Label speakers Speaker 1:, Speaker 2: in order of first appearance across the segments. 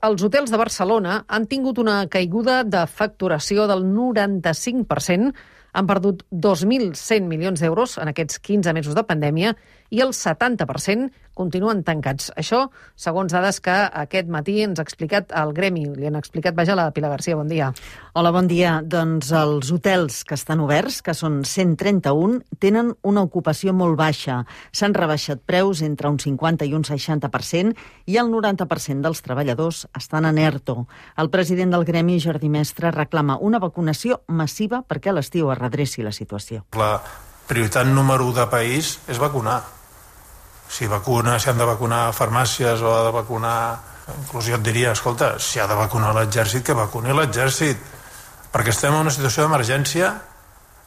Speaker 1: Els hotels de Barcelona han tingut una caiguda de facturació del 95%, han perdut 2.100 milions d'euros en aquests 15 mesos de pandèmia i el 70% continuen tancats. Això, segons dades que aquest matí ens ha explicat el gremi. Li han explicat, la Pilar Garcia. Bon dia.
Speaker 2: Hola, bon dia. Doncs els hotels que estan oberts, que són 131, tenen una ocupació molt baixa. S'han rebaixat preus entre un 50 i un 60% i el 90% dels treballadors estan en ERTO. El president del gremi, Jordi Mestre, reclama una vacunació massiva perquè a l'estiu es redreci la situació.
Speaker 3: La prioritat número 1 de país és vacunar. Si han de vacunar farmàcies o ha de vacunar... Inclús jo et diria, escolta, si ha de vacunar l'exèrcit, que vacuni l'exèrcit. Perquè estem en una situació d'emergència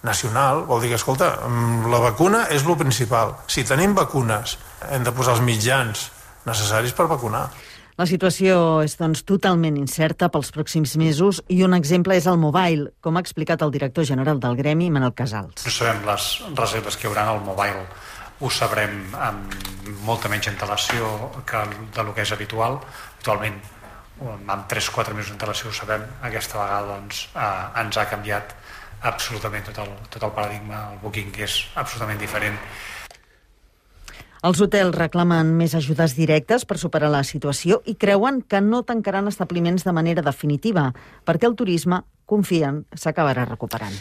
Speaker 3: nacional. Vol dir que, escolta, la vacuna és lo principal. Si tenim vacunes, hem de posar els mitjans necessaris per vacunar.
Speaker 2: La situació és, doncs, totalment incerta pels pròxims mesos i un exemple és el mobile, com ha explicat el director general del gremi, Manel Casals.
Speaker 4: No sabem les reserves que hi haurà al mobile. Ho sabrem amb molta menys antelació que del que és habitual. Actualment, amb 3-4 mesos d'antelació ho sabem. Aquesta vegada doncs, ens ha canviat absolutament tot el paradigma. El booking és absolutament diferent.
Speaker 2: Els hotels reclamen més ajudes directes per superar la situació i creuen que no tancaran establiments de manera definitiva, perquè el turisme, confien, s'acabarà recuperant.